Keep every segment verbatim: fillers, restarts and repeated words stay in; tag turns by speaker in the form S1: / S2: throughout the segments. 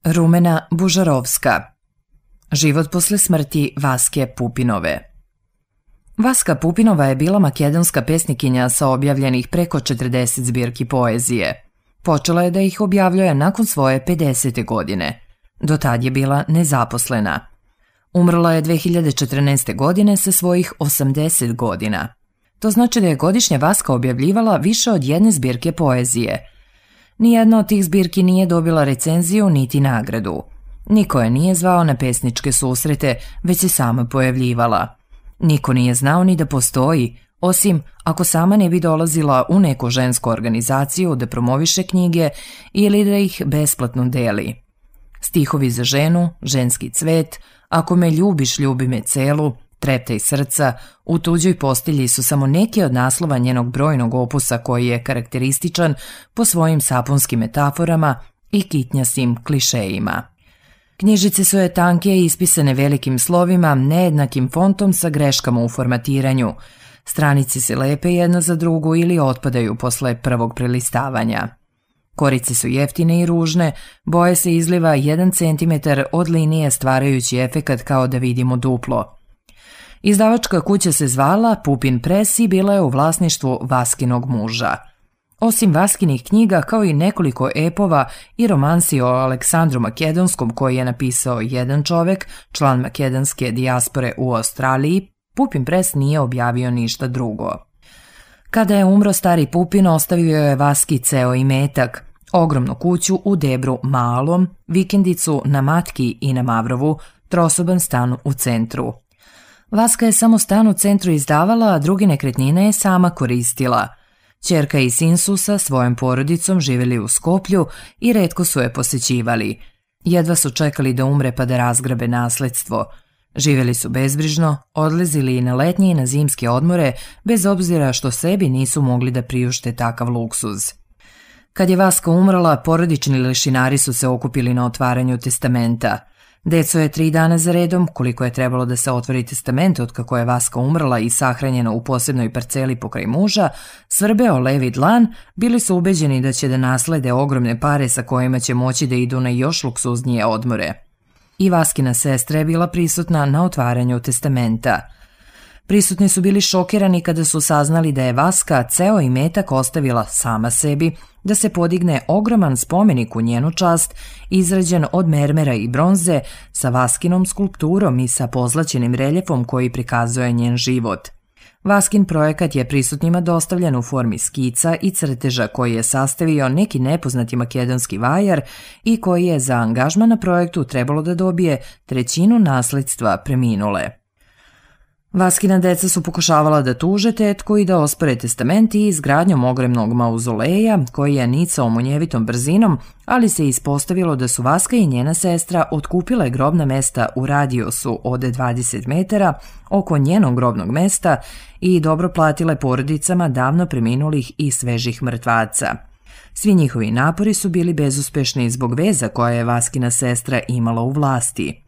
S1: Rumena Bužarovska. Život posle smrti Vaske Pupinove. Vaska Pupinova je bila makedonska pesnikinja sa objavljenih preko četrdeset zbirki poezije. Počela je da ih objavljuje nakon svoje pedesete godine. Do tad je bila nezaposlena. Umrla je dve hiljade četrnaeste. godine sa svojih osamdeset godina. To znači da je godišnje Vaska objavljivala više od jedne zbirke poezije. Nijedna od tih zbirki nije dobila recenziju niti nagradu. Niko je nije zvao na pesničke susrete, već se sama pojavljivala. Niko nije znao ni da postoji, osim ako sama ne bi dolazila u neku žensku organizaciju da promoviše knjige ili da ih besplatno deli. Stihovi za ženu, ženski cvet, ako me ljubiš, ljubi me celu, treptaj srca, u tuđoj postelji su samo neki od naslova njenog brojnog opusa koji je karakterističan po svojim sapunskim metaforama i kitnjastim klišejima. Knjižice su je tanke i ispisane velikim slovima, nejednakim fontom sa greškama u formatiranju. Stranice se lepe jedna za drugu ili otpadaju posle prvog prelistavanja. Korice su jeftine i ružne, boje se izliva jedan centimetar od linije stvarajući efekat kao da vidimo duplo. Izdavačka kuća se zvala Pupin Press i bila je u vlasništvu Vaskinog muža. Osim Vaskinih knjiga, kao i nekoliko epova i romansi o Aleksandru Makedonskom koji je napisao jedan čovek, član makedonske dijaspore u Australiji, Pupin Press nije objavio ništa drugo. Kada je umro stari Pupin, ostavio je Vaski ceo imetak, ogromnu kuću u Debru Malom, vikendicu na Matki i na Mavrovu, trosoban stan u centru. Vaska je samo stan u centru izdavala, a druge nekretnine je sama koristila. Ćerka i sin su sa svojom porodicom živjeli u Skoplju i retko su je posećivali. Jedva su čekali da umre pa da razgrabe nasledstvo. Živjeli su bezbrižno, odlazili i na letnje i na zimske odmore, bez obzira što sebi nisu mogli da priušte takav luksuz. Kad je Vaska umrla, porodični lešinari su se okupili na otvaranju testamenta. Deco je tri dana za redom, koliko je trebalo da se otvori testament od kako je Vaska umrla i sahranjena u posebnoj parceli pokraj muža, svrbeo levi dlan, bili su ubeđeni da će da naslede ogromne pare sa kojima će moći da idu na još luksuznije odmore. I Vaskina sestra je bila prisutna na otvaranju testamenta. Prisutni su bili šokirani kada su saznali da je Vaska ceo imetak ostavila sama sebi, da se podigne ogroman spomenik u njenu čast, izrađen od mermera i bronze, sa Vaskinom skulpturom i sa pozlaćenim reljefom koji prikazuje njen život. Vaskin projekat je prisutnima dostavljen u formi skica i crteža koji je sastavio neki nepoznati makedonski vajar i koji je za angažman na projektu trebalo da dobije trećinu nasledstva preminule. Vaskina deca su pokušavala da tuže tetku i da ospore testament i izgradnjom ogromnog mauzoleja koji je nicao munjevitom brzinom, ali se ispostavilo da su Vaska i njena sestra otkupile grobna mesta u radijusu od dvadeset metara oko njenog grobnog mesta i dobro platile porodicama davno preminulih i svežih mrtvaca. Svi njihovi napori su bili bezuspešni zbog veza koje je Vaskina sestra imala u vlasti.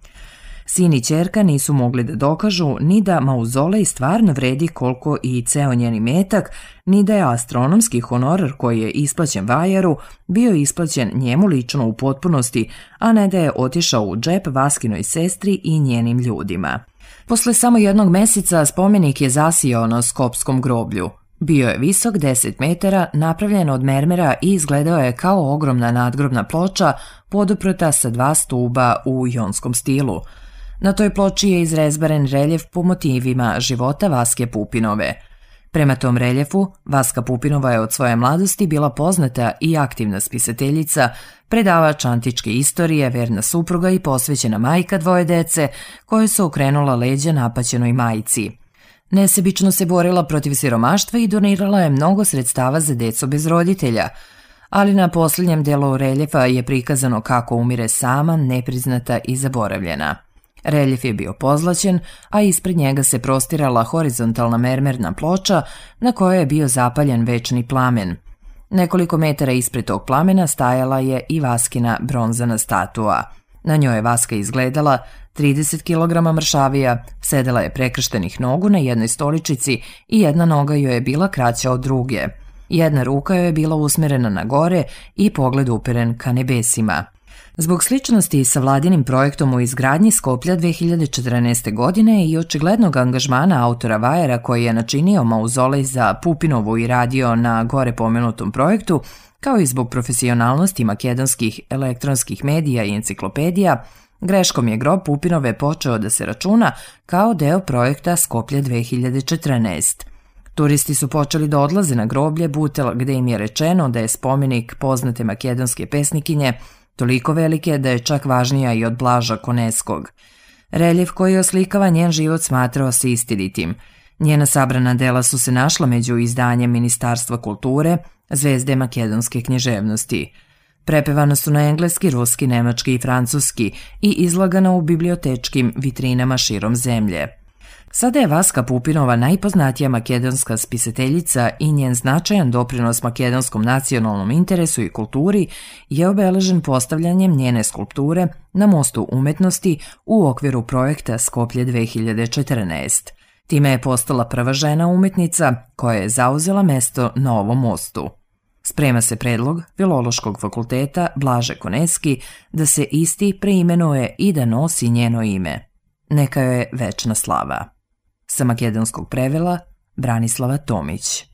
S1: Sin i ćerka nisu mogli da dokažu ni da mauzolej stvarno vredi koliko i ceo njen imetak, ni da je astronomski honorar koji je isplaćen vajaru bio isplaćen njemu lično u potpunosti, a ne da je otišao u džep Vaskinoj sestri i njenim ljudima. Posle samo jednog meseca spomenik je zasijao na Skopskom groblju. Bio je visok deset metara, napravljen od mermera i izgledao je kao ogromna nadgrobna ploča poduprta sa dva stuba u jonskom stilu. Na toj ploči je izrezbaren reljef po motivima života Vaske Pupinove. Prema tom reljefu, Vaska Pupinova je od svoje mladosti bila poznata i aktivna spisateljica, predavač antičke istorije, verna supruga i posvećena majka dvoje dece koje su okrenula leđa napaćenoj majci. Nesebično se borila protiv siromaštva i donirala je mnogo sredstava za decu bez roditelja, ali na posljednjem delu reljefa je prikazano kako umire sama, nepriznata i zaboravljena. Reljef je bio pozlaćen, a ispred njega se prostirala horizontalna mermerna ploča na kojoj je bio zapaljen večni plamen. Nekoliko metara ispred tog plamena stajala je i Vaskina bronzana statua. Na njoj je Vaska izgledala trideset kilograma mršavija, sedela je prekrštenih nogu na jednoj stoličici i jedna noga joj je bila kraća od druge. Jedna ruka joj je bila usmerena na gore i pogled uperen ka nebesima. Zbog sličnosti sa vladinim projektom u izgradnji Skoplja dve hiljade četrnaeste. godine i očiglednog angažmana autora vajera koji je načinio mauzolej za Pupinovu i radio na gore pomenutom projektu, kao i zbog profesionalnosti makedonskih elektronskih medija i enciklopedija, greškom je grob Pupinove počeo da se računa kao deo projekta Skoplje dve hiljade četrnaeste. Turisti su počeli da odlaze na groblje Butel, gde im je rečeno da je spomenik poznate makedonske pesnikinje toliko velike da je čak važnija i od Blaža Koneskog. Reljef koji oslikava njen život smatrao se istinitim. Njena sabrana dela su se našla među izdanjem Ministarstva kulture, Zvezde makedonske književnosti. Prepevana su na engleski, ruski, nemački i francuski i izlagana u bibliotečkim vitrinama širom zemlje. Sada je Vaska Pupinova najpoznatija makedonska spisateljica i njen značajan doprinos makedonskom nacionalnom interesu i kulturi je obeležen postavljanjem njene skulpture na Mostu umetnosti u okviru projekta Skoplje dve hiljade četrnaeste. Time je postala prva žena umetnica koja je zauzela mesto na ovom mostu. Sprema se predlog Filološkog fakulteta Blaže Koneski da se isti preimenuje i da nosi njeno ime. Neka joj je večna slava. Sa makedonskog prevela Branislava Tomić.